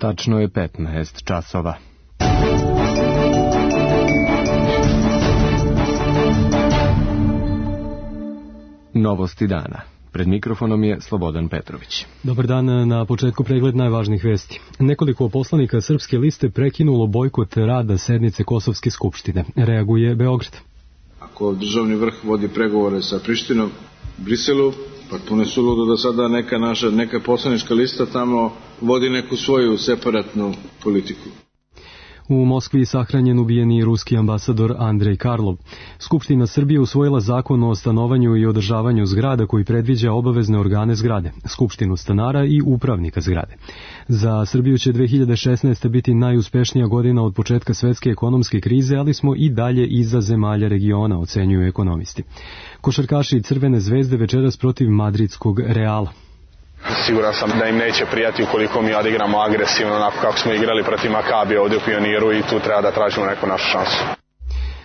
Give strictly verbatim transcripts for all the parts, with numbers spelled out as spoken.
Tačno je petnaest časova. Novosti dana. Pred mikrofonom je Slobodan Petrović. Dobar dan, na početku pregled najvažnijih vesti. Nekoliko poslanika Srpske liste prekinulo bojkot rada sednice Kosovske skupštine. Reaguje Beograd. Ako državni vrh vodi pregovore sa Prištinom, Briselu, potpuno je suludo da sada neka naša, neka poslanička lista tamo vodi neku svoju separatnu politiku. U Moskvi sahranjen ubijeni ruski ambasador Andrej Karlov. Skupština Srbije usvojila zakon o stanovanju i održavanju zgrada koji predviđa obavezne organe zgrade, skupštinu stanara i upravnika zgrade. Za Srbiju će dve hiljade šesnaeste. biti najuspešnija godina od početka svetske ekonomske krize, ali smo i dalje iza zemalja regiona, ocenjuju ekonomisti. Košarkaši Crvene zvezde večeras protiv madridskog Reala. Siguran sam da im neće prijati ukoliko mi odigramo agresivno, onako kako smo igrali protiv Makabija ovdje u Pioniru, i tu treba da tražimo neku našu šansu.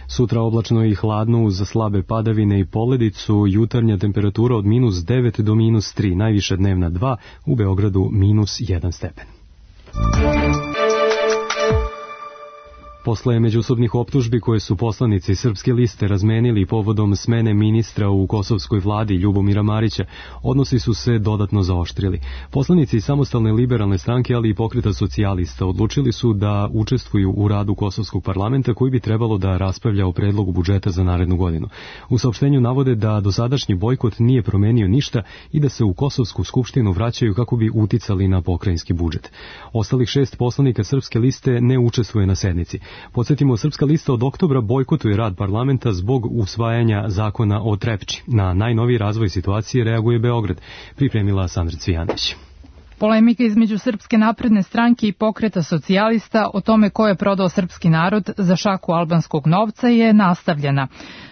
Sutra oblačno i hladno uz slabe padavine i poledicu, jutarnja temperatura od minus devet do minus tri, najviša dnevna dva, u Beogradu minus jedan stepen. Posle međusobnih optužbi koje su poslanici Srpske liste razmenili povodom smene ministra u kosovskoj vladi Ljubomira Marića, odnosi su se dodatno zaoštrili. Poslanici Samostalne liberalne stranke, ali i Pokreta socijalista odlučili su da učestvuju u radu Kosovskog parlamenta koji bi trebalo da raspravlja o predlogu budžeta za narednu godinu. U saopštenju navode da dosadašnji bojkot nije promenio ništa i da se u Kosovsku skupštinu vraćaju kako bi uticali na pokrajinski budžet. Ostalih šest poslanika Srpske liste ne učestvuje na sednici. Podsjetimo, Srpska lista od oktobra bojkotuje rad parlamenta zbog usvajanja zakona o Trepči. Na najnoviji razvoj situacije reaguje Beograd, pripremila Sandra Cvijanović. Polemika između Srpske napredne stranke i Pokreta socijalista o tome ko je prodao srpski narod za šaku albanskog novca je nastavljena.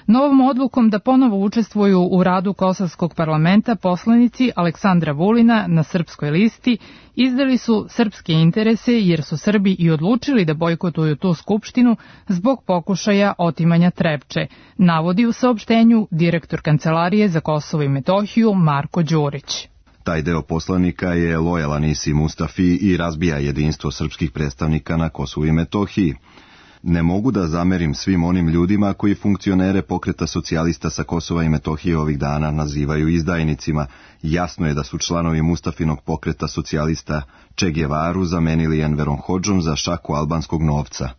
Novom odlukom da ponovo učestvuju u radu Kosovskog parlamenta poslanici Aleksandra Vulina na Srpskoj listi izdali su srpske interese jer su Srbi i odlučili da bojkotuju tu skupštinu zbog pokušaja otimanja Trepče, navodi u saopštenju direktor Kancelarije za Kosovo i Metohiju Marko Đurić. Taj deo poslanika je lojalan Isi Mustafi i razbija jedinstvo srpskih predstavnika na Kosovu i Metohiji. Ne mogu da zamerim svim onim ljudima koji funkcionere Pokreta socijalista sa Kosova i Metohije ovih dana nazivaju izdajnicima. Jasno je da su članovi Mustafinog Pokreta socijalista Che Guevaru zamenili Enverom Hodžom za šaku albanskog novca.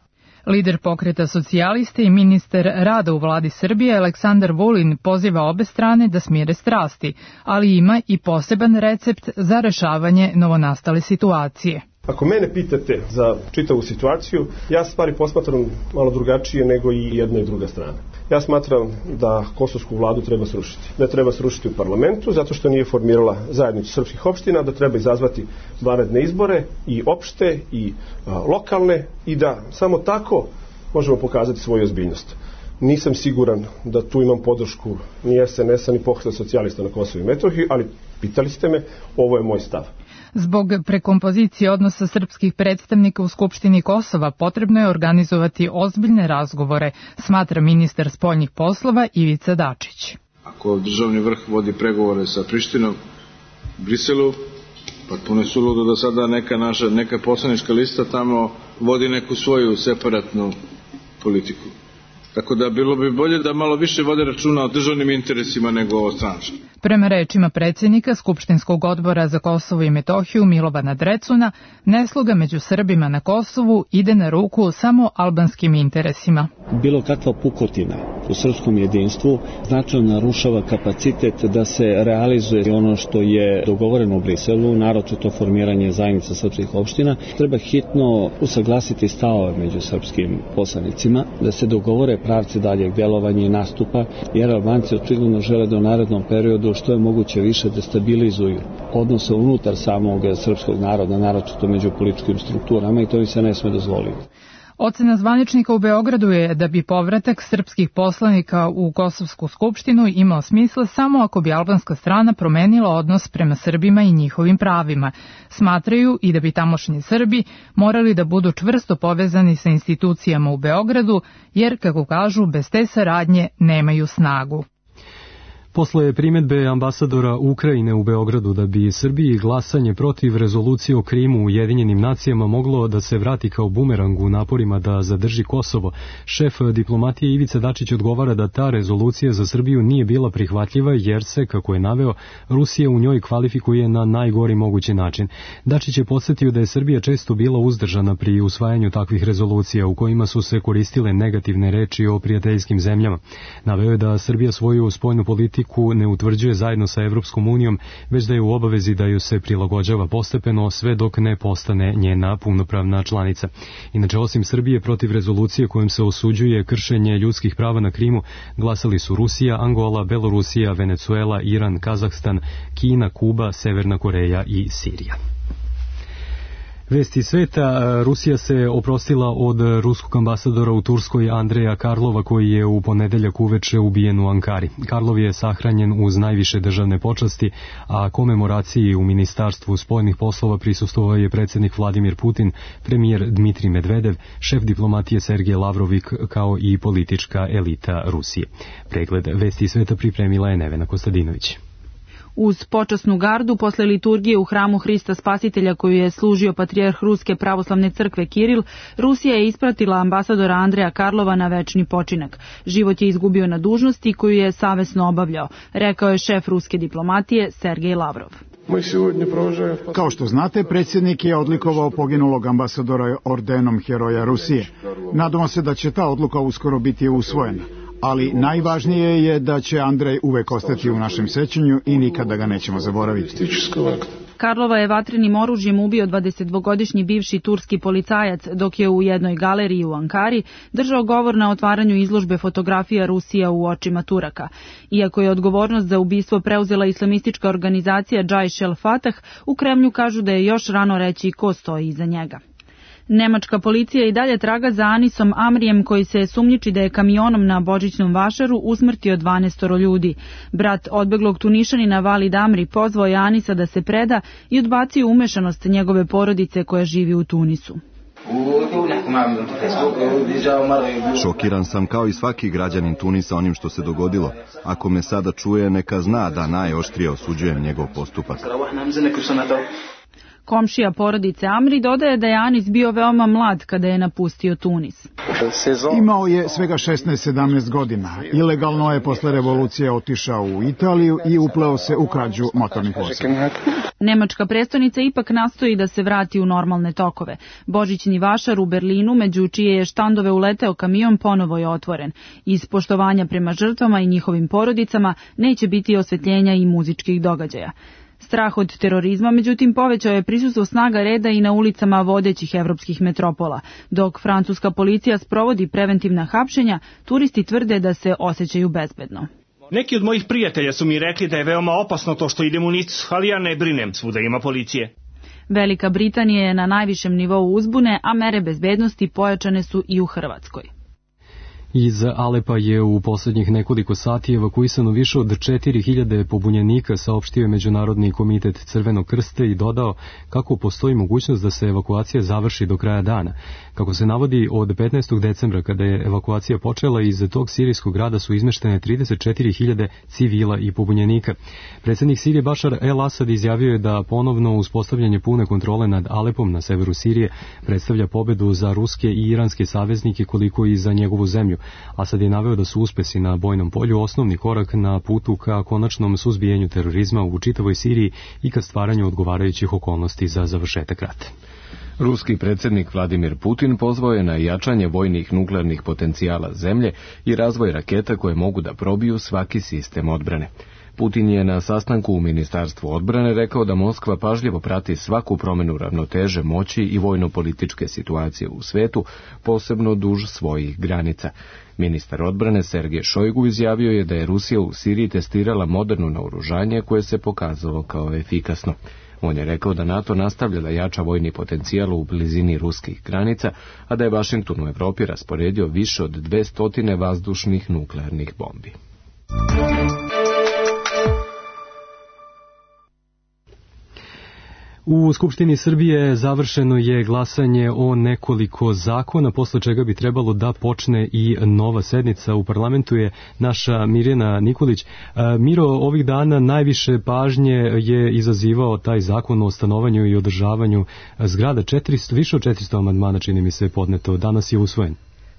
Lider Pokreta socijaliste i ministar rada u vladi Srbije Aleksandar Vulin poziva obe strane da smire strasti, ali ima i poseban recept za rešavanje novonastale situacije. Ako mene pitate za čitavu situaciju, ja stvari posmatram malo drugačije nego i jedna i druga strana. Ja smatram da kosovsku vladu treba srušiti. Da treba srušiti u parlamentu, zato što nije formirala zajednicu srpskih opština, da treba izazvati vanredne izbore, i opšte, i a, lokalne, i da samo tako možemo pokazati svoju ozbiljnost. Nisam siguran da tu imam podršku ni es en es a ni Pokreta socijalista na Kosovu i Metohiji, ali pitali ste me, ovo je moj stav. Zbog prekompozicije odnosa srpskih predstavnika u Skupštini Kosova potrebno je organizovati ozbiljne razgovore, smatra ministar spoljnih poslova Ivica Dačić. Ako državni vrh vodi pregovore sa Prištinom, Briselu, potpuno je suludo da sada neka naša, neka poslanička lista tamo vodi neku svoju separatnu politiku. Tako da bilo bi bolje da malo više vode računa o državnim interesima nego o stranačkim. Prema rečima predsjednika Skupštinskog odbora za Kosovo i Metohiju Milovana Drecuna, nesloga među Srbima na Kosovu ide na ruku samo albanskim interesima. Bilo kakva pukotina u srpskom jedinstvu značajno narušava kapacitet da se realizuje ono što je dogovoreno u Briselu, naročito formiranje zajednica srpskih opština. Treba hitno usaglasiti stavove među srpskim poslanicima, da se dogovore pravci daljeg djelovanja i nastupa, jer Albanci očigledno žele da u narednom periodu što je moguće više destabilizuju odnose unutar samog srpskog naroda, naročito među političkim strukturama, i to im se ne sme dozvoliti. Ocena zvaničnika u Beogradu je da bi povratak srpskih poslanika u Kosovsku skupštinu imao smisla samo ako bi albanska strana promenila odnos prema Srbima i njihovim pravima. Smatraju i da bi tamošnji Srbi morali da budu čvrsto povezani sa institucijama u Beogradu, jer, kako kažu, bez te saradnje nemaju snagu. Posle primedbe ambasadora Ukrajine u Beogradu da bi Srbiji glasanje protiv rezolucije o Krimu u Ujedinjenim nacijama moglo da se vrati kao bumerang u naporima da zadrži Kosovo, šef diplomatije Ivica Dačić odgovara da ta rezolucija za Srbiju nije bila prihvatljiva jer se, kako je naveo, Rusija u njoj kvalifikuje na najgori mogući način. Dačić je podsjetio da je Srbija često bila uzdržana pri usvajanju takvih rezolucija u kojima su se koristile negativne reči o prijateljskim zemljama. Naveo je da Srbija svoju spoljnu politiku ne utvrđuje zajedno sa Evropskom unijom, već da je u obavezi da ju se prilagođava postepeno sve dok ne postane njena punopravna članica. Inače, osim Srbije, protiv rezolucije kojom se osuđuje kršenje ljudskih prava na Krimu, glasali su Rusija, Angola, Belorusija, Venecuela, Iran, Kazahstan, Kina, Kuba, Severna Koreja i Sirija. Vesti sveta, Rusija se oprostila od ruskog ambasadora u Turskoj Andreja Karlova koji je u ponedeljak uveče ubijen u Ankari. Karlov je sahranjen uz najviše državne počasti, a komemoraciji u Ministarstvu spoljnih poslova prisustvovao je predsjednik Vladimir Putin, premijer Dmitrij Medvedev, šef diplomatije Sergej Lavrovik kao i politička elita Rusije. Pregled Vesti sveta pripremila je Nevena Kostadinović. Uz počasnu gardu posle liturgije u hramu Hrista Spasitelja koju je služio patrijarh Ruske pravoslavne crkve Kiril, Rusija je ispratila ambasadora Andreja Karlova na večni počinak. Život je izgubio na dužnosti koju je savesno obavljao, rekao je šef ruske diplomatije Sergej Lavrov. Kao što znate, predsjednik je odlikovao poginulog ambasadora ordenom Heroja Rusije. Nadamo se da će ta odluka uskoro biti usvojena. Ali najvažnije je da će Andrej uvek ostati u našem sećanju i nikada ga nećemo zaboraviti. Karlova je vatrenim oružjem ubio dvadesetdvogodišnji bivši turski policajac dok je u jednoj galeriji u Ankari držao govor na otvaranju izložbe fotografija Rusija u očima Turaka. Iako je odgovornost za ubistvo preuzela islamistička organizacija Džajš el Fatah, u Kremlju kažu da je još rano reći ko stoji iza njega. Nemačka policija i dalje traga za Anisom Amrijem koji se sumnjiči da je kamionom na božićnom vašaru usmrtio dvanaestoro ljudi. Brat odbeglog Tunišanina Valid Amri pozvao je Anisa da se preda i odbacio umešanost njegove porodice koja živi u Tunisu. Šokiran sam kao i svaki građanin Tunisa onim što se dogodilo. Ako me sada čuje, neka zna da najoštrije osuđujem njegov postupak. Komšija porodice Amri dodaje da je Anis bio veoma mlad kada je napustio Tunis. Imao je svega šesnaest sedamnaest godina. Ilegalno je posle revolucije otišao u Italiju i upleo se u krađu motornih vozila. Nemačka prestonica ipak nastoji da se vrati u normalne tokove. Božićni vašar u Berlinu, među čije je štandove uleteo kamion, ponovo je otvoren. Iz poštovanja prema žrtvama i njihovim porodicama neće biti osvetljenja i muzičkih događaja. Strah od terorizma, međutim, povećao je prisustvo snaga reda i na ulicama vodećih evropskih metropola. Dok francuska policija sprovodi preventivna hapšenja, turisti tvrde da se osjećaju bezbedno. Neki od mojih prijatelja su mi rekli da je veoma opasno to što idem u Nicu, ali ja ne brinem, svuda ima policije. Velika Britanija je na najvišem nivou uzbune, a mere bezbednosti pojačane su i u Hrvatskoj. Iz Alepa je u posljednjih nekoliko sati evakuisano više od četiri hiljade pobunjenika, saopštio je Međunarodni komitet Crvenog krsta i dodao kako postoji mogućnost da se evakuacija završi do kraja dana. Kako se navodi, od petnaestog decembra kada je evakuacija počela, iz tog sirijskog grada su izmeštene trideset četiri hiljade civila i pobunjenika. Predsjednik Sirije Bašar el-Asad izjavio je da ponovno uspostavljanje pune kontrole nad Alepom na severu Sirije predstavlja pobedu za ruske i iranske saveznike koliko i za njegovu zemlju. Asad je naveo da su uspesi na bojnom polju osnovni korak na putu ka konačnom suzbijenju terorizma u čitavoj Siriji i ka stvaranju odgovarajućih okolnosti za završetak rata. Ruski predsjednik Vladimir Putin pozvao je na jačanje vojnih nuklearnih potencijala zemlje i razvoj raketa koje mogu da probiju svaki sistem odbrane. Putin je na sastanku u Ministarstvu odbrane rekao da Moskva pažljivo prati svaku promjenu ravnoteže moći i vojno-političke situacije u svetu, posebno duž svojih granica. Ministar odbrane Sergej Šojgu izjavio je da je Rusija u Siriji testirala moderno naoružanje koje se pokazalo kao efikasno. On je rekao da NATO nastavlja da jača vojni potencijal u blizini ruskih granica, a da je Vašington u Evropi rasporedio više od dvesta vazdušnih nuklearnih bombi. U Skupštini Srbije završeno je glasanje o nekoliko zakona, posle čega bi trebalo da počne i nova sednica. U parlamentu je naša Mirjana Nikolić. Miro, ovih dana najviše pažnje je izazivao taj zakon o stanovanju i održavanju zgrada. četiristo, više od četiristo amandmana, čini mi se, je podneto. Danas je usvojen.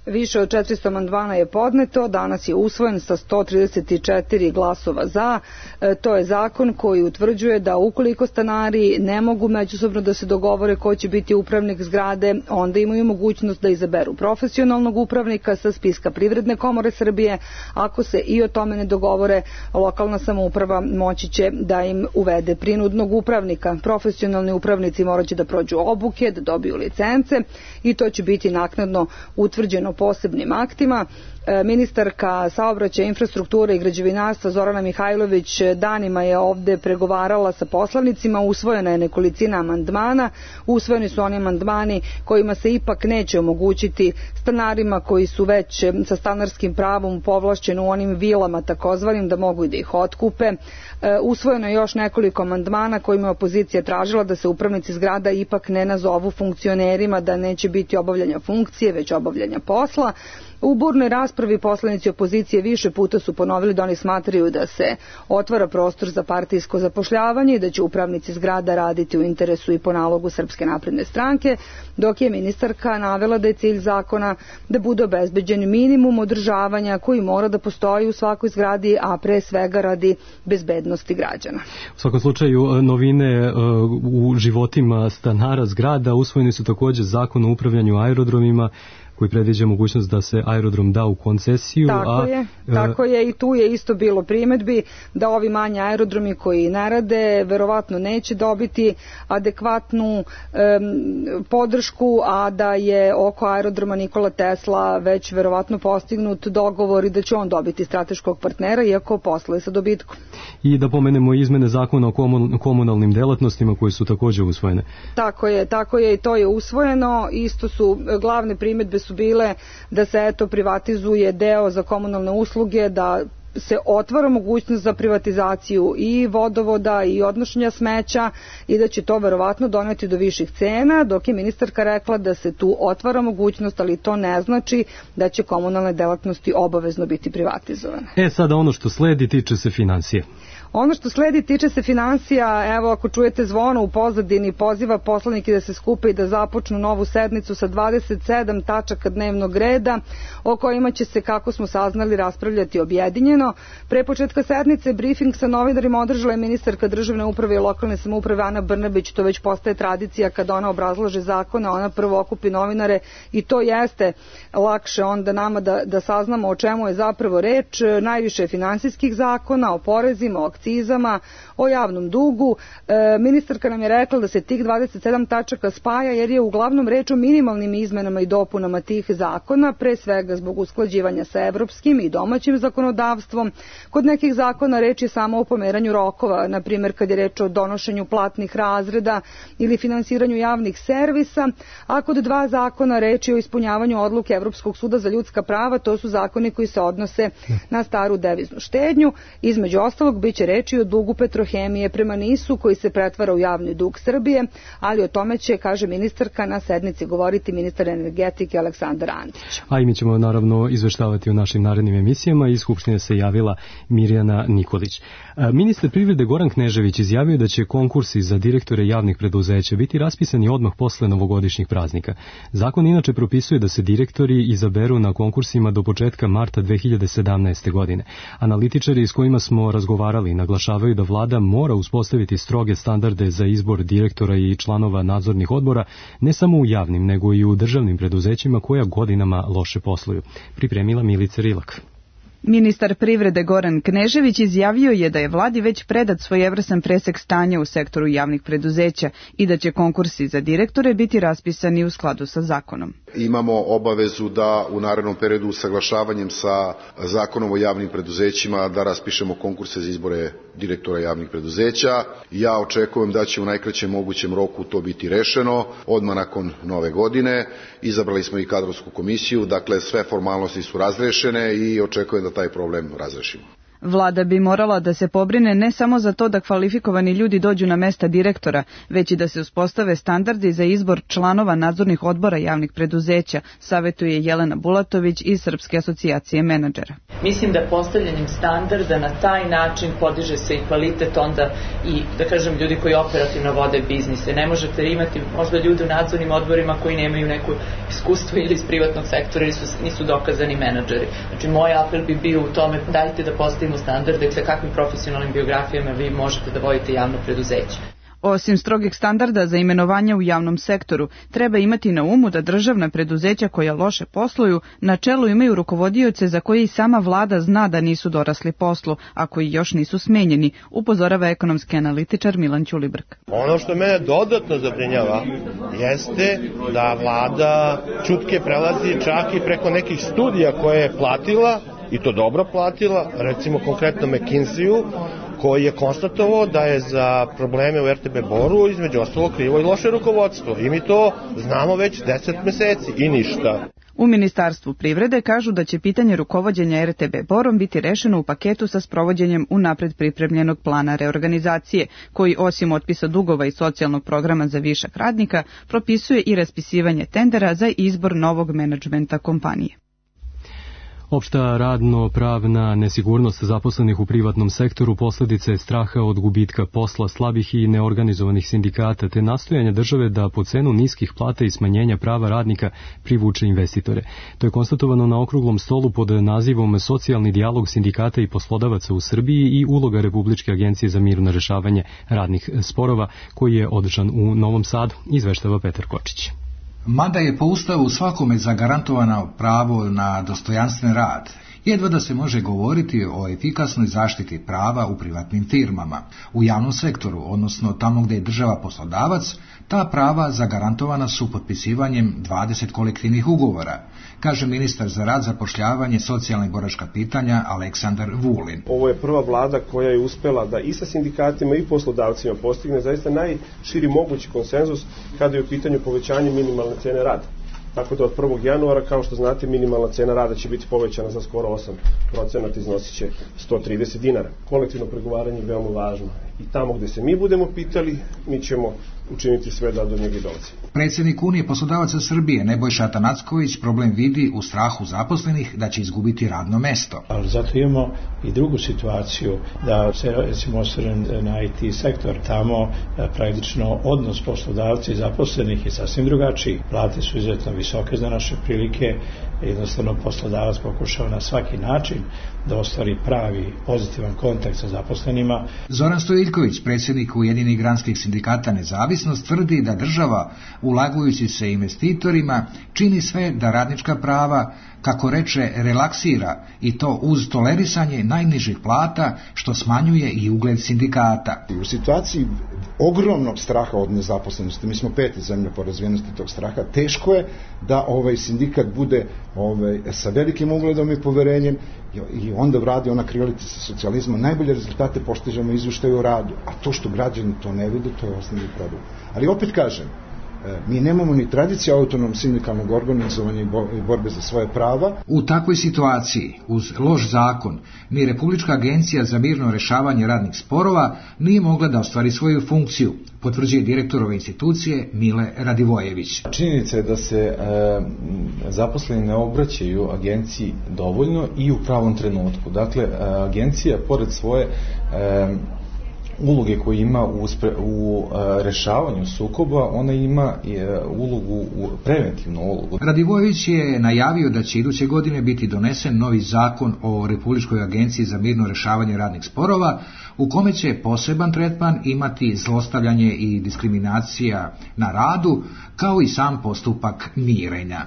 Više od četiristo amandmana je podneto, danas je usvojen sa sto trideset četiri glasova za. E, to je zakon koji utvrđuje da ukoliko stanari ne mogu međusobno da se dogovore ko će biti upravnik zgrade, onda imaju mogućnost da izaberu profesionalnog upravnika sa spiska Privredne komore Srbije. Ako se i o tome ne dogovore, lokalna samouprava moći će da im uvede prinudnog upravnika. Profesionalni upravnici moraće da prođu obuke, da dobiju licence i to će biti naknadno utvrđeno posebnim aktima. Ministarka saobraćaja, infrastrukture i građevinarstva Zorana Mihajlović danima je ovde pregovarala sa poslanicima, usvojena je nekolicina amandmana, usvojeni su oni amandmani kojima se ipak neće omogućiti stanarima koji su već sa stanarskim pravom povlašćeni u onim vilama takozvanim da mogu i da ih otkupe. Usvojeno je još nekoliko amandmana kojima je opozicija tražila da se upravnici zgrada ipak ne nazovu funkcionerima, da neće biti obavljanja funkcije, već obavljanja posla. U burnoj raspravi poslanici opozicije više puta su ponovili da oni smatraju da se otvara prostor za partijsko zapošljavanje i da će upravnici zgrada raditi u interesu i po nalogu Srpske napredne stranke, dok je ministarka navela da je cilj zakona da bude obezbeđen minimum održavanja koji mora da postoji u svakoj zgradi, a pre svega radi bezbednosti građana. U svakom slučaju, novine u životima stanara zgrada, usvojeni su takođe zakon o upravljanju aerodromima, koji predviđa mogućnost da se aerodrom da u koncesiju. Tako a, je, tako je i tu je isto bilo primedbi da ovi manji aerodromi koji ne rade verovatno neće dobiti adekvatnu um, podršku, a da je oko aerodroma Nikola Tesla već verovatno postignut dogovor i da će on dobiti strateškog partnera, iako posluje sa dobitkom. I da pomenemo izmene zakona o komunalnim delatnostima koje su takođe usvojene. Tako je, tako je i to je usvojeno. Isto su glavne primedbe su bile da se eto privatizuje deo za komunalne usluge, da se otvara mogućnost za privatizaciju i vodovoda i odnošenja smeća i da će to verovatno doneti do viših cena, dok je ministarka rekla da se tu otvara mogućnost, ali to ne znači da će komunalne delatnosti obavezno biti privatizovane. E, sada ono što sledi tiče se finansije. Ono što sledi tiče se finansija. Evo, ako čujete zvono u pozadini, poziva poslanike da se skupe i da započnu novu sednicu sa dvadeset sedam tačaka dnevnog reda o kojima će se, kako smo saznali, raspravljati objedinjeno. Pre početka sednice brifing sa novinarima održala je ministarka državne uprave i lokalne samouprave Ana Brnabić. To već postaje tradicija kada ona obrazlaže zakone, ona prvo okupi novinare i to jeste lakše onda nama da, da saznamo o čemu je zapravo reč. Najviše finansijskih zakona, o porezima, o akcizama, o javnom dugu. E, ministarka nam je rekla da se tih dvadeset sedam tačaka spaja jer je uglavnom reč o minimalnim izmenama i dopunama tih zakona, pre svega zbog usklađivanja sa evropskim i domaćim zakonodavstvom. Kod nekih zakona reč je samo o pomeranju rokova, na primjer kad je reč o donošenju platnih razreda ili finansiranju javnih servisa, a kod dva zakona reč je o ispunjavanju odluke Evropskog suda za ljudska prava, to su zakoni koji se odnose na staru deviznu štednju. Između ostalog biće reči o dugu Petrohemije prema Nisu koji se pretvara u javni dug Srbije, ali o tome će, kaže ministarka, na sednici govoriti ministar energetike Aleksandar Antić. A i mi ćemo naravno izveštavati u našim narednim emisijama. Iz Skupštine se javila Mirjana Nikolić. Ministar privrede Goran Knežević izjavio da će konkursi za direktore javnih preduzeća biti raspisani odmah posle novogodišnjih praznika. Zakon inače propisuje da se direktori izaberu na konkursima do početka marta dve hiljade sedamnaeste. godine. Analitičari s kojima smo razgovarali naglašavaju da vlada mora uspostaviti stroge standarde za izbor direktora i članova nadzornih odbora, ne samo u javnim, nego i u državnim preduzećima koja godinama loše posluju. Pripremila Milica Rilak. Ministar privrede Goran Knežević izjavio je da je vladi već predat svojevrstan presek stanja u sektoru javnih preduzeća i da će konkursi za direktore biti raspisani u skladu sa zakonom. Imamo obavezu da u narednom periodu usaglašavanjem sa zakonom o javnim preduzećima da raspišemo konkurse za izbore direktora javnih preduzeća. Ja očekujem da će u najkraćem mogućem roku to biti rešeno odmah nakon nove godine. Izabrali smo i kadrovsku komisiju, dakle sve formalnosti su razrešene i očekujem da taj problem razrešimo. Vlada bi morala da se pobrine ne samo za to da kvalifikovani ljudi dođu na mesta direktora, već i da se uspostave standardi za izbor članova nadzornih odbora javnih preduzeća, savetuje Jelena Bulatović iz Srpske asocijacije menadžera. Mislim da postavljanjem standarda na taj način podiže se i kvalitet onda i, da kažem, ljudi koji operativno vode biznise. Ne možete imati možda ljudi u nadzornim odborima koji nemaju neko iskustvo ili iz privatnog sektora ili su, nisu dokazani menadžeri. Znači, moj apel bi bio u tome, dajte da postavimo standarde sa kakvim profesionalnim biografijama vi možete da vodite javno preduzeće. Osim strogih standarda za imenovanje u javnom sektoru, treba imati na umu da državna preduzeća koja loše posluju na čelu imaju rukovodioce za koje i sama vlada zna da nisu dorasli poslu, a koji još nisu smenjeni, upozorava ekonomski analitičar Milan Ćulibrk. Ono što mene dodatno zabrinjava jeste da vlada čutke prelazi čak i preko nekih studija koje je platila, i to dobro platila, recimo konkretno McKinsey-u, koji je konstatovao da je za probleme u R T B Boru između ostalo krivo i loše rukovodstvo. I mi to znamo već deset meseci i ništa. U Ministarstvu privrede kažu da će pitanje rukovođenja R T B Borom biti rešeno u paketu sa sprovođenjem unapred pripremljenog plana reorganizacije, koji osim otpisa dugova i socijalnog programa za višak radnika, propisuje i raspisivanje tendera za izbor novog menadžmenta kompanije. Opšta radno-pravna nesigurnost zaposlenih u privatnom sektoru posljedica je straha od gubitka posla, slabih i neorganizovanih sindikata, te nastojanja države da po cenu niskih plata i smanjenja prava radnika privuče investitore. To je konstatovano na okruglom stolu pod nazivom Socijalni dijalog sindikata i poslodavaca u Srbiji i uloga Republičke agencije za mirno rešavanje radnih sporova, koji je održan u Novom Sadu, izveštava Petar Kočić. Mada je po Ustavu svakome zagarantovano pravo na dostojanstven rad, jedva da se može govoriti o efikasnoj zaštiti prava u privatnim firmama. U javnom sektoru, odnosno tamo gdje je država poslodavac, ta prava zagarantovana su potpisivanjem dvadeset kolektivnih ugovora, kaže ministar za rad, zapošljavanje, socijalna i boračka pitanja Aleksandar Vulin. Ovo je prva vlada koja je uspela da i sa sindikatima i poslodavcima postigne zaista najširi mogući konsenzus kada je u pitanju povećanje minimalne cene rada. Tako da od prvog januara, kao što znate, minimalna cena rada će biti povećana za skoro osam procenata, iznosit će sto trideset dinara. Kolektivno pregovaranje je veoma važno. I tamo gdje se mi budemo pitali, mi ćemo učiniti sve da do njega i dolazi. Predsjednik Unije poslodavaca Srbije Nebojša Atanacković problem vidi u strahu zaposlenih da će izgubiti radno mesto. Ali zato imamo i drugu situaciju da se, recimo, osvrnem na I T sektor. Tamo praktično odnos poslodavca i zaposlenih je sasvim drugačiji. Plate su izuzetno visoke za naše prilike. Jednostavno poslodavac pokušava na svaki način da ostvari pravi pozitivan kontakt sa zaposlenima. Zoran Stojiljković, predsjednik Ujedinjenih granskih sindikata Nezavisnost, tvrdi da država, ulagujući se investitorima, čini sve da radnička prava, kako reče, relaksira, i to uz tolerisanje najnižih plata, što smanjuje i ugled sindikata. U situaciji ogromnog straha od nezaposlenosti, mi smo peti zemlja po razvijenosti tog straha, teško je da ovaj sindikat bude ovaj, sa velikim ugledom i poverenjem i onda vradi ona krilica sa socijalizma. Najbolje rezultate postižemo izvještaju o radu, a to što građani to ne vide, to je osnovni problem. Ali opet kažem, mi nemamo ni tradiciju autonomnog sindikalnog organizovanja i borbe za svoje prava. U takvoj situaciji, uz loš zakon, ni Republička agencija za mirno rešavanje radnih sporova nije mogla da ostvari svoju funkciju, potvrđuje direktor ove institucije Mile Radivojević. Činjenica je da se e, zaposleni ne obraćaju agenciji dovoljno i u pravom trenutku. Dakle, agencija, pored svoje e, uloge koje ima u, spre, u a, rešavanju sukoba, ona ima i, a, ulogu, u, preventivnu ulogu. Radivojević je najavio da će iduće godine biti donesen novi zakon o Republičkoj agenciji za mirno rešavanje radnih sporova, u kome će poseban tretman imati zlostavljanje i diskriminacija na radu, kao i sam postupak mirenja.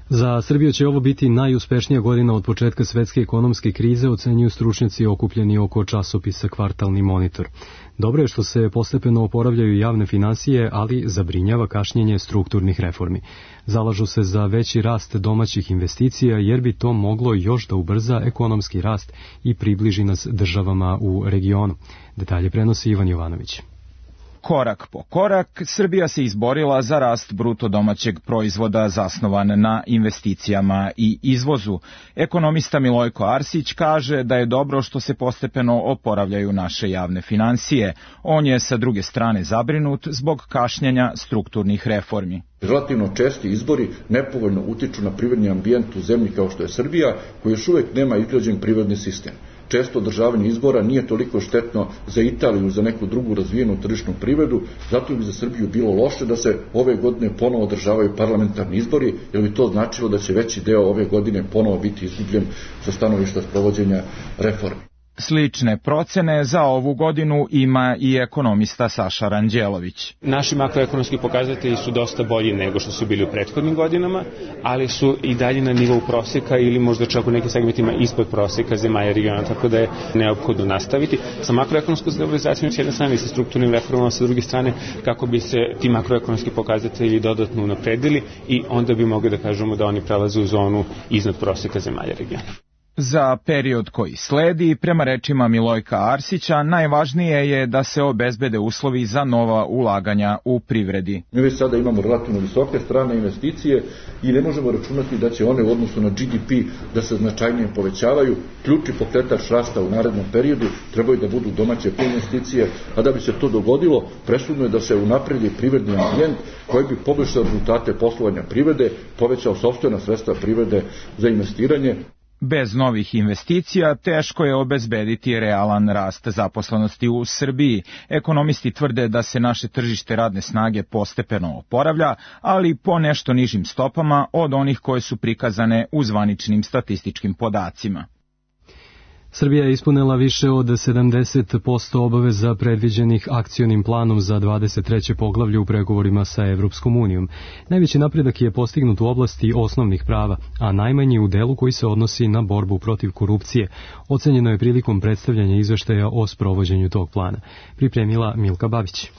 Za Srbiju će ovo biti najuspešnija godina od početka svetske ekonomske krize, ocenjuju stručnjaci okupljeni oko časopisa Kvartalni monitor. Dobro je što se postepeno oporavljaju javne finansije, ali zabrinjava kašnjenje strukturnih reformi. Zalažu se za veći rast domaćih investicija, jer bi to moglo još da ubrza ekonomski rast i približi nas državama u regionu. Detalje prenosi Ivan Jovanović. Korak po korak, Srbija se izborila za rast bruto domaćeg proizvoda zasnovan na investicijama i izvozu. Ekonomista Milojko Arsić kaže da je dobro što se postepeno oporavljaju naše javne finansije. On je sa druge strane zabrinut zbog kašnjenja strukturnih reformi. Relativno česti izbori nepovoljno utiču na privredni ambijent u zemlji kao što je Srbija, koji još uvek nema izgrađen privredni sistem. Često održavanje izbora nije toliko štetno za Italiju, za neku drugu razvijenu tržišnu privredu, zato bi za Srbiju bilo loše da se ove godine ponovo održavaju parlamentarni izbori, jer bi to značilo da će veći deo ove godine ponovo biti izgubljen sa stanovišta sprovođenja reformi. Slične procene za ovu godinu ima i ekonomista Saša Ranđelović. Naši makroekonomski pokazatelji su dosta bolji nego što su bili u prethodnim godinama, ali su i dalje na nivou proseka ili možda čak u nekim segmentima ispod proseka zemalja regiona, tako da je neophodno nastaviti sa makroekonomskom stabilizacijom s jedne strane i sa strukturnim reformama sa druge strane, kako bi se ti makroekonomski pokazatelji dodatno unapredili i onda bi mogli da kažemo da oni prelaze u zonu iznad proseka zemalja regiona. Za period koji sledi, prema rečima Milojka Arsića, najvažnije je da se obezbede uslovi za nova ulaganja u privredi. Mi već sada imamo relativno visoke strane investicije i ne možemo računati da će one u odnosu na G D P da se značajnije povećavaju. Ključni pokretač rasta u narednom periodu trebaju da budu domaće investicije, a da bi se to dogodilo, presudno je da se unapredi privredni ambijent koji bi poboljšao rezultate poslovanja privrede, povećao sopstvena sredstva privrede za investiranje. Bez novih investicija teško je obezbediti realan rast zaposlenosti u Srbiji. Ekonomisti tvrde da se naše tržište radne snage postepeno oporavlja, ali po nešto nižim stopama od onih koje su prikazane u zvaničnim statističkim podacima. Srbija je ispunila više od sedamdeset posto obaveza predviđenih akcionim planom za dvadeset treće poglavlje u pregovorima sa Evropskom unijom. Najveći napredak je postignut u oblasti osnovnih prava, a najmanji u delu koji se odnosi na borbu protiv korupcije. Ocenjeno je prilikom predstavljanja izveštaja o sprovođenju tog plana. Pripremila Milka Babić.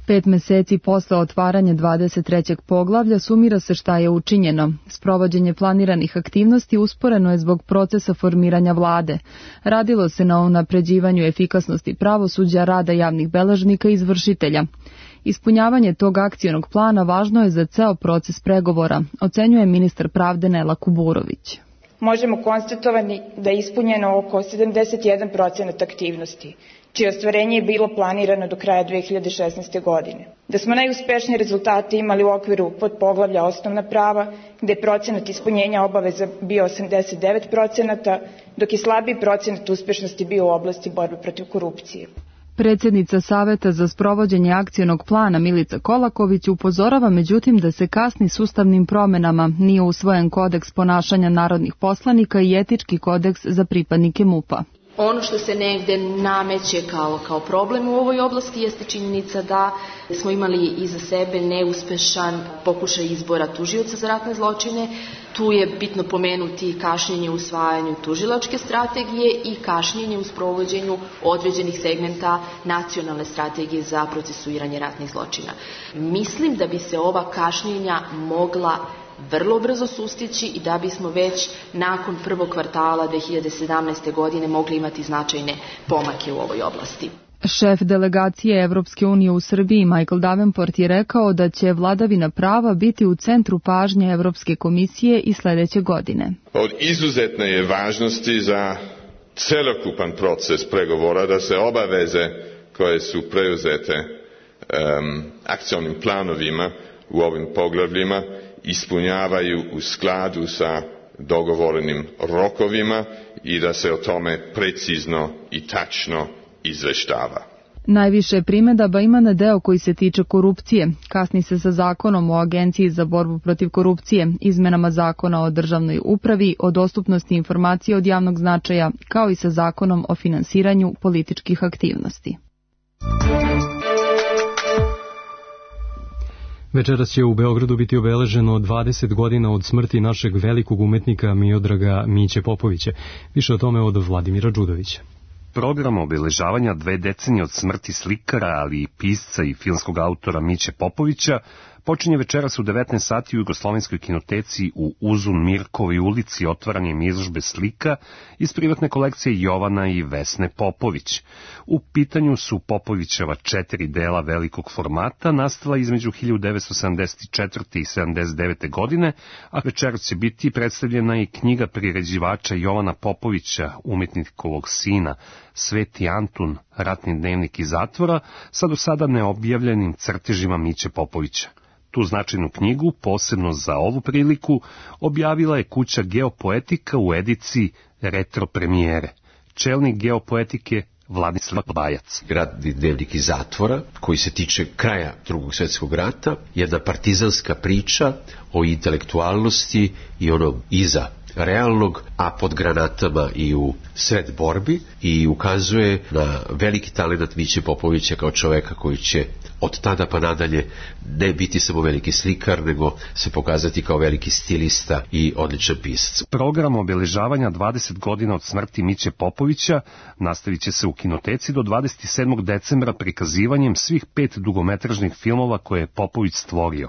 Pet meseci posle otvaranja dvadeset trećeg poglavlja sumira se šta je učinjeno. Sprovođenje planiranih aktivnosti usporeno je zbog procesa formiranja vlade. Radilo se na unapređivanju efikasnosti pravosuđa, rada javnih beležnika i izvršitelja. Ispunjavanje tog akcionog plana važno je za ceo proces pregovora, ocenjuje ministar pravde Nela Kuburović. Možemo konstatovati da je ispunjeno oko sedamdeset jedan procenat aktivnosti, čije ostvarenje je bilo planirano do kraja dve hiljade šesnaeste. godine. Da smo najuspešnije rezultate imali u okviru podpoglavlja osnovna prava, gde je procenat ispunjenja obaveza bio osamdeset devet procenata, dok je slabiji procenat uspešnosti bio u oblasti borbe protiv korupcije. Predsjednica Saveta za sprovođenje akcionog plana Milica Kolaković upozorava međutim da se kasni s ustavnim promenama, nije usvojen kodeks ponašanja narodnih poslanika i etički kodeks za pripadnike M U P-a. Ono što se negde nameće kao, kao problem u ovoj oblasti jeste činjenica da smo imali iza sebe neuspešan pokušaj izbora tužioca za ratne zločine. Tu je bitno pomenuti kašnjenje u usvajanju tužilačke strategije i kašnjenje u sprovođenju određenih segmenta nacionalne strategije za procesuiranje ratnih zločina. Mislim da bi se ova kašnjenja mogla vrlo brzo sustići i da bismo već nakon prvog kvartala dve hiljade sedamnaeste. godine mogli imati značajne pomake u ovoj oblasti. Šef delegacije Evropske unije u Srbiji Michael Davenport je rekao da će vladavina prava biti u centru pažnje Evropske komisije i sledeće godine. Od izuzetne je važnosti za celokupan proces pregovora da se obaveze koje su preuzete um, akcionim planovima u ovim poglavljima ispunjavaju u skladu sa dogovorenim rokovima i da se o tome precizno i tačno izveštava. Najviše primedaba ima na deo koji se tiče korupcije. Kasni se sa zakonom o Agenciji za borbu protiv korupcije, izmenama zakona o državnoj upravi, o dostupnosti informacija od javnog značaja, kao i sa zakonom o finansiranju političkih aktivnosti. Večeras će u Beogradu biti obeleženo dvadeset godina od smrti našeg velikog umetnika Miodraga Miće Popovića. Više o tome od Vladimira Đudovića. Program obeležavanja dve decenije od smrti slikara, ali i pisca i filmskog autora Miće Popovića počinje večeras u devetnaest sati u Jugoslovenskoj kinoteci u Uzun Mirkovoj ulici otvaranjem izložbe slika iz privatne kolekcije Jovana i Vesne Popović. U pitanju su Popovićeva četiri dela velikog formata, nastala između hiljadu devetsto sedamdeset četvrte. i sedamdeset devete. godine, a večeras će biti predstavljena i knjiga priređivača Jovana Popovića, umetnikovog sina, Sveti Antun, ratni dnevnik iz zatvora, sa do sada neobjavljenim crtežima Miće Popovića. Tu značajnu knjigu, posebno za ovu priliku, objavila je kuća Geopoetika u ediciji Retro premijere. Čelnik Geopoetike Vladislav Bajac. Ratni dnevnik iz zatvora, koji se tiče kraja Drugog svjetskog rata, jedna partizanska priča o intelektualnosti i onom iza realnog, a pod granatama i u sred borbi, i ukazuje na veliki talent Miće Popovića kao čoveka koji će od tada pa nadalje ne biti samo veliki slikar, nego se pokazati kao veliki stilista i odličan pisac. Program obeležavanja dvadeset godina od smrti Miće Popovića nastavit će se u kinoteci do dvadeset sedmog decembra prikazivanjem svih pet dugometražnih filmova koje je Popović stvorio.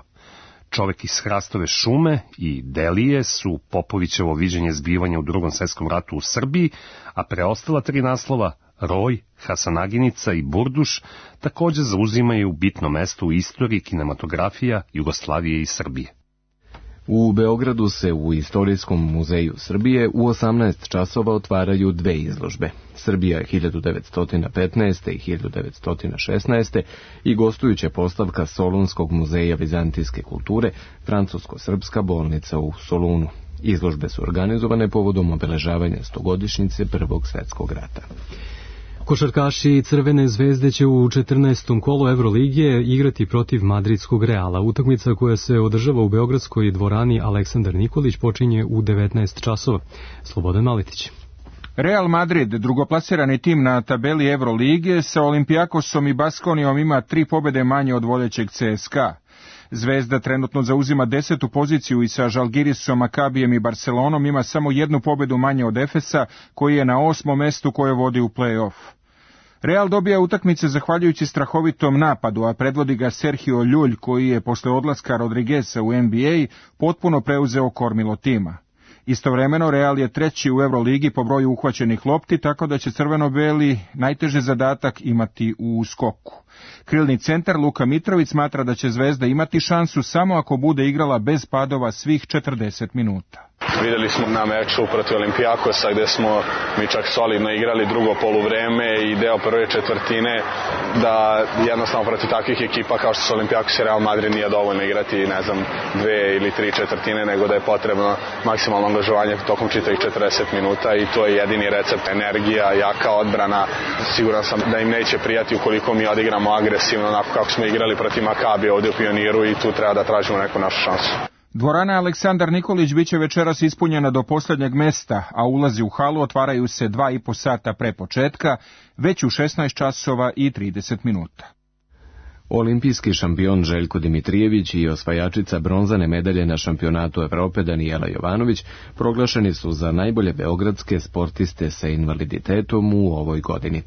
Čovek iz Hrastove šume i Delije su Popovićevo viđenje zbivanja u Drugom svjetskom ratu u Srbiji, a preostala tri naslova, Roj, Hasanaginica i Burduš, također zauzimaju bitno mesto u istoriji kinematografija Jugoslavije i Srbije. U Beogradu se u Istorijskom muzeju Srbije u osamnaest časova otvaraju dve izložbe. Srbija hiljadu devetsto petnaeste. i hiljadu devetsto šesnaeste. i gostujuća postavka Solunskog muzeja vizantijske kulture, Francusko-srpska bolnica u Solunu. Izložbe su organizovane povodom obeležavanja stogodišnjice Prvog svjetskog rata. Košarkaši Crvene zvezde će u četrnaestom kolu Evrolige igrati protiv madridskog Reala. Utakmica koja se održava u beogradskoj dvorani Aleksandar Nikolić počinje u devetnaest časova. Slobodan Maletić. Real Madrid, drugoplasirani tim na tabeli Evrolige, sa Olimpijakosom i Baskonijom ima tri pobjede manje od vodećeg C S K A. Zvezda trenutno zauzima desetu poziciju i sa Žalgirisom, Makabijem i Barcelonom ima samo jednu pobjedu manje od Efesa, koji je na osmom mestu koje vodi u play-off. Real dobija utakmice zahvaljujući strahovitom napadu, a predvodi ga Sergio Ljulj, koji je posle odlaska Rodrigueza u N B A potpuno preuzeo kormilo tima. Istovremeno Real je treći u Euroligi po broju uhvaćenih lopti, tako da će crveno-beli najteži zadatak imati u skoku. Krilni centar Luka Mitrović smatra da će Zvezda imati šansu samo ako bude igrala bez padova svih četrdeset minuta. Vidjeli smo na meču protiv Olimpijakosa gdje smo mi čak solidno igrali drugo poluvreme i deo prve četvrtine, da jednostavno protiv takvih ekipa kao što su Olimpijakos i Real Madrid nije dovoljno igrati, ne znam, dve ili tri četvrtine, nego da je potrebno maksimalno angažovanje tokom čitavih četrdeset minuta i to je jedini recept. Energija, jaka odbrana. Siguran sam da im neće prijati ukoliko mi odigramo agresivno onako kako smo igrali protiv Makabija ovdje u Pioniru i tu treba da tražimo neku našu šansu. Dvorana Aleksandar Nikolić biće večeras ispunjena do posljednjeg mesta, a ulazi u halu otvaraju se dva i po sata pre početka, već u šesnaest časova i trideset minuta. Olimpijski šampion Željko Dimitrijević i osvajačica bronzane medalje na šampionatu Evrope Danijela Jovanović proglašeni su za najbolje beogradske sportiste sa invaliditetom u ovoj godini.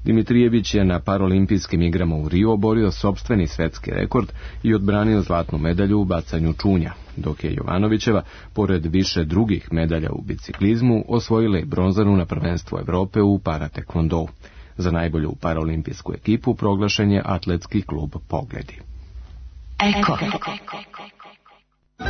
Dimitrijević je na paralimpijskim igrama u Rio oborio sopstveni svetski rekord i odbranio zlatnu medalju u bacanju čunja, dok je Jovanovićeva, pored više drugih medalja u biciklizmu, osvojila i bronzanu na prvenstvu Evrope u paratekvondou. Za najbolju paraolimpijsku ekipu proglašen je atletski klub Pogledi. Eko.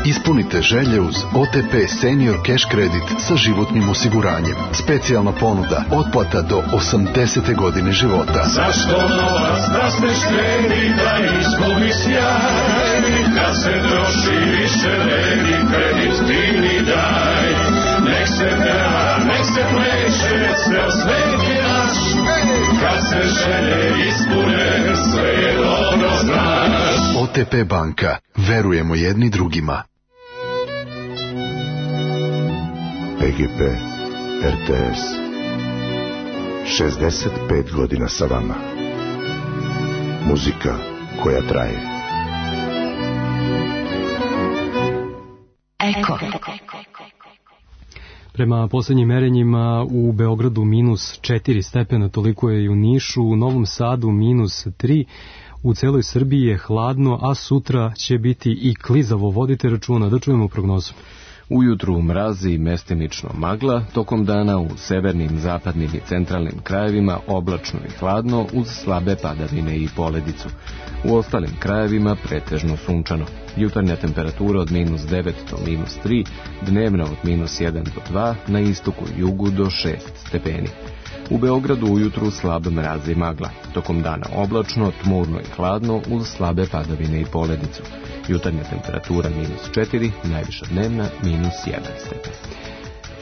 Ispunite želje uz O T P Senior Cash Credit sa životnim osiguranjem. Specijalna ponuda, otplata do osamdesete godine života. Zašto novac da ste šteni, da izgubi sjaj, kad se troši više vredi, kredit ti mi daj. Nek se peva, nek se pleše, ceo svet je naš, kad se želje ispune, sve je dobro znaš. O T P banka, verujemo jedni drugima. P G P, R T S, šezdeset pet godina sa vama. Muzika koja traje. Eko. Prema posljednjim merenjima u Beogradu minus četiri stepena, toliko je i u Nišu, u Novom Sadu minus tri, U celoj Srbiji je hladno, a sutra će biti i klizavo. Vodite računa. Da čujemo prognozu. Ujutru mrazi i mestimično magla, tokom dana u severnim, zapadnim i centralnim krajevima oblačno i hladno uz slabe padavine i poledicu. U ostalim krajevima pretežno sunčano. Jutarnja temperatura od minus devet do minus tri, dnevna od minus jedan do dva, na istoku i jugu do šest stepeni. U Beogradu ujutru slab mraz i magla, tokom dana oblačno, tmurno i hladno uz slabe padavine i poledicu. Jutarnja temperatura minus četiri, najviša dnevna minus jedan stepen.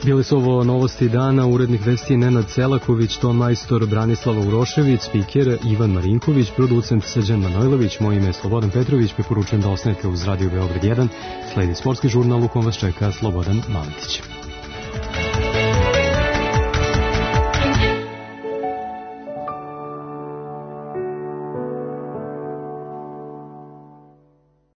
Bili su ovo novosti dana, urednik vesti Nenad Selaković, ton majstor Branislava Urošević, spiker Ivan Marinković, producent Srđan Manojlović, moje ime je Slobodan Petrović, preporučujem da ostanete uz Radio Beograd jedan, sledi sportski žurnal u kom vas čeka Slobodan Maletić.